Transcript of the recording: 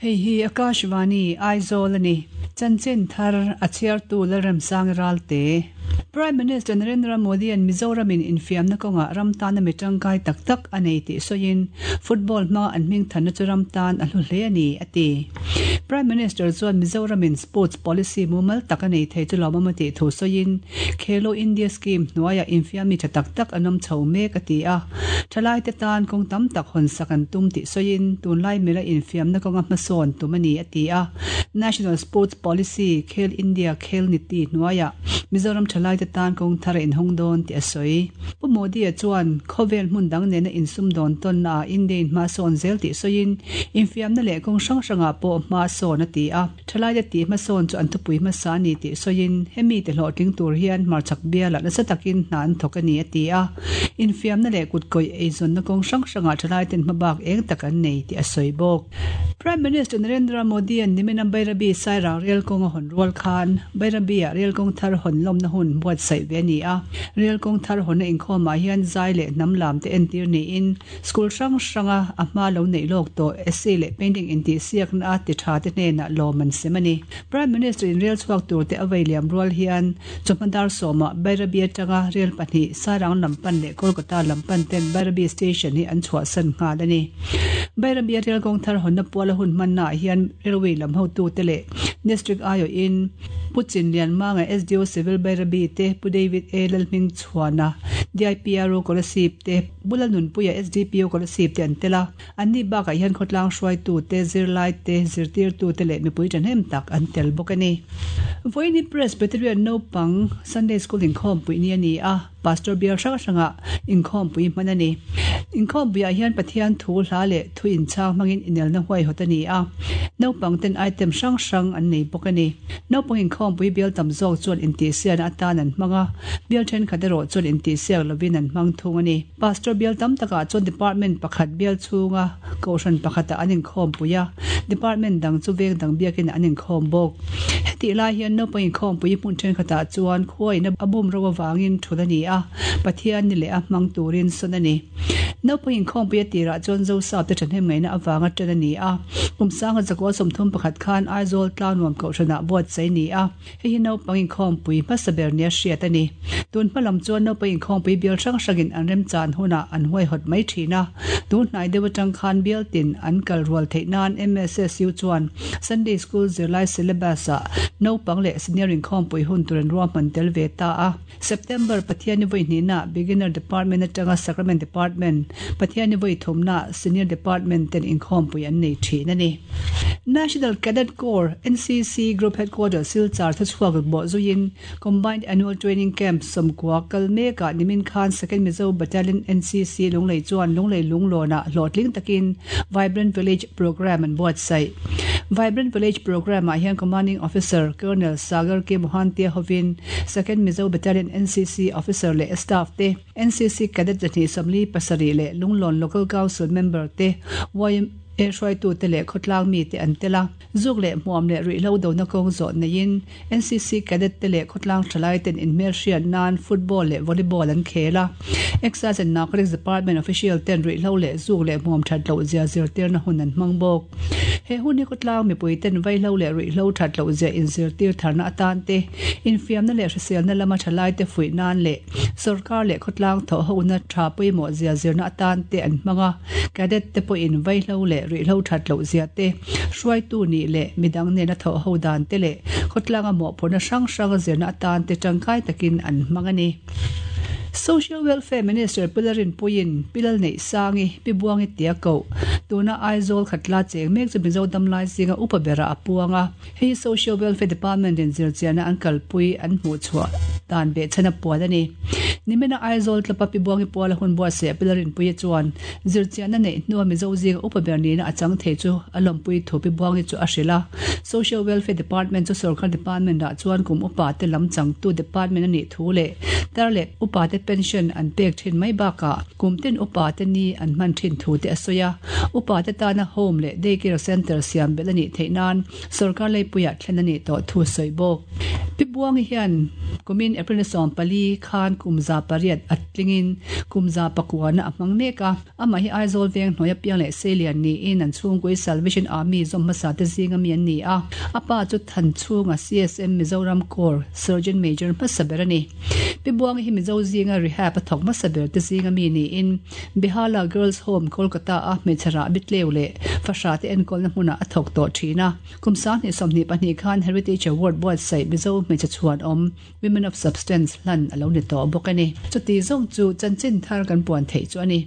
Hei hi Akashvani, Aizawl a ni. Chanchin thar a chhiartu Lalremsang Ralte. Prime Minister Narendra Modi-a'n Mizoramin infiamna kawngah ram tana mi tangkai tak tak a nei tih sawiin, football hmanga an hmingthanna chu ram tan a hlu hle a ni, a ti. Prime Minister chuan Mizoramin sports policy mumal tak a nei thei chu lawmawm a tih thu sawiin, Khelo India scheme hnuaiah infiammi tha tak tak an awm chho mek a ti a. Thalaite tan kawng tam tak hawn sak an tum tih sawiin tunlai mila infiamna kawnga hmasawn tum a ni a ti a. National Sports Policy, Khel India Khel Niti hnuaiah Mizoram thalaite tan kawng thar a inhawng dawn tih a sawi. Pu Modi-a chuan khawvel hmun dang nena insumdawn tawnna ah India in hma sawn zel tih sawiin infiamna leh kawng hrang hrangah pawh hma sawn a ti a. Thalaite tih hmasawn chu an thupui hmasa a ni tih sawiin, hemi te hlawhtling tur hian hmarchhak bialah nasa takin hna an thawk a ni a ti a. Infiamna leh kutkawih eizawnna kawng hrang hrangah thalaiten hmabak eng tak an nei tih a sawi bawk. Prime Minister Narendra Modi-a'n nimina Bairabi Sairang rel kawng a hawn rual khan Bairabi-ah rel kawng thar hawn lawmna hun buatsaih ve a ni a. Rel kawng thar hawnna inkhawmah hian zai leh hnam lam te entir niin, School hrang hranga a hma lo neih lawk tawh essay leh painting intihsiakna a ti tha te hnenah lawm an sem a ni. Prime Minister in rel chhuak tur te a vei liam rual hian chawhma dar sawmah Bairabi atanga rel pahnih Sairang lam pan leh Kolkata lam pan ten Bairabi Station hi an chhuahsan nghal a ni. Bairabi a rel kawng thar hawnna puala hun hmanna ah hian railway lam hotute leh District aiawhin Pu Chinlianmanga SDO Civil Bairabi te Pu David A Lalhmingchhuana DIPRO Kolasib te Bula nunpuia SDPO Kolasib te an tel a, anni bakah hian khawtlang hruaitute, zirlaite, zirtirtute leh mipui thahnem tak an tel bawk a ni. Vawiin hi Presbyterian naupang Sunday School inkhawmpui ni a ni a, Pastor bial hrang hrangah inkhawmpui hman a ni. Inkhawmpuiah hian Pathian thu hla leh thu inchhang hmangin inelna huaihawt a ni a, naupang ten item hrang hrang an nei bawk a ni. Naupang inkhawmpui bial tam zawk chuan intihsiakna atan an hmang a, bial thenkhat erawh chuan intihsiak lovin an hmang thung a ni. Pastor bial tam takah chuan department pakhat bial chhunga kohhran pakhatah an inkhawmpui a, department dang chu veng dang biakin an inkhawm bawk. Hetih lai hian naupang inkhawmpui hmun thenkhatah chuan khuain a bum ro avangin thul a ni a, Pathian ni leh a hmang turin sawn a ni. Naupang inkhawmpui a tirah chuan Zosapte thahnem ngaihna avanga tan a ni a. Kum sanga zakua 31 khan Aizawl Tlangnuam Kohhranah buatsaih a ni a. Hei hi naupang inkhawmpui hmasa ber nia hriat a ni. Tun hma lam chuan naupang inkhawmpui bial hrang hrangin an remchan hunah an huaihawt mai thin a. Tun hnai deuh atang khan bial tin an kal rual theih nan MSSU chuan Sunday School zirlai syllabus-ah naupang leh senior inkhawmpui hun tur an ruahman tel ve ta a. September Pathianni vawi hnihna Beginner Department atanga Sacrament Department, Pathianni vawi thumna Senior Department ten inkhawmpui an nei thin a ni. National Cadet Corps, NCC, Group Headquarters Silchar thuchhuak bawh zuiin Combined Annual Training Camp sawmkua kal mekah nimin khan Second Mizo Battalion NCC Lunglei chuan Lunglei Lunglawnah hlawhtling takin Vibrant Village Programme an buatsaih. Vibrant Village Programme-ah hian Commanding Officer Colonel Sagar K Mohanty-a hovin Second Mizo Battalion NCC Officer leh Staff te, NCC Cadet 247 leh Lunglawn Local Council Member te, yma hruaitute leh khawtlang mite an tel a. Zuk leh hmuam leh ruihhlo dona kawng zawh neiin NCC Cadet te leh khawtlang thalai ten inhmelhriat nan Football leh Volleyball an khel a. Excise and Narcotics Department official ten ruihhlo leh zuk leh hmuam that loh zia zirtirna hun an hmang bawk. He hun hi khawtlang mipui ten vaihlo leh ruihhlo that loh zia inzirtir tharna atan te, infiamna leh hriselna lama thalai te fuih nan leh sawrkar leh khawtlang thawhhona tha pawimawh zia zirna atan te an hmang a. Cadet te pawhin vaihlo leh ruihhlo that loh zia te, hruaitu nih leh midang nena thawhho dan te leh khawtlanga mawhphurhna hrang hranga zirna atan te tangkai takin an hmang a ni. Social Welfare Minister Pu Larinpuiin Pi Lalneihsangi, Pi Buangi tia koh, tuna Aizawl khatla cheng mek chu Mizo damlai zinga upa berah a puang a. Hei hi Social Welfare Department in zirchiahna an kalpui an hmuhchhuah dan behchhan a puan a ni. Nimina Aizawl tlapa Pi Buangi Puala hun buatsaih a Pi Larinpuia chuan zirchiahna neih hnua Mizo zinga upa ber nihna a chang thei chu a lawmpui thu Pi Buangi chu a hrilh a. Social Welfare Department chu sorkar department ah chuan kum upa te lam changtu department a nih thu leh tar leh upa te pension an pek thin mai bakah kum tin upa te ni an hman thin thu te a sawi a. Upa te tana home leh day care centre siam belh a nih theih nan sorkar leipuiah thlen a nih tawh thu sawi bawk. Pi Buangi hian kumin April 14 khan kum za. 8 a tlingin kum 109 na a hmang mek a. Amah hi Aizawl veng hnuaia piang leh seilian niin an chhungkui Salvation Army zawm hmasa te zinga mi an ni a. A pa chu Thanchhunga CSM Mizoram Corps Surgeon Major hmasa ber a ni. Pi Buangi hi Mizo zinga rehab a thawk hmasa ber te zinga mi niin Behala Girls Home Kolkata a hmeichhe rahbi tleu leh fahrah te enkawlna hmunah a thawk tawh thin a. Kum 2022 khan Heritage Award buatsaih Mizo hmeichhe chhuanawm Women of Substance hlan a lo ni tawh bawk a ni. Chuti zawng chu chanchin thar kan puan theih chu a ni.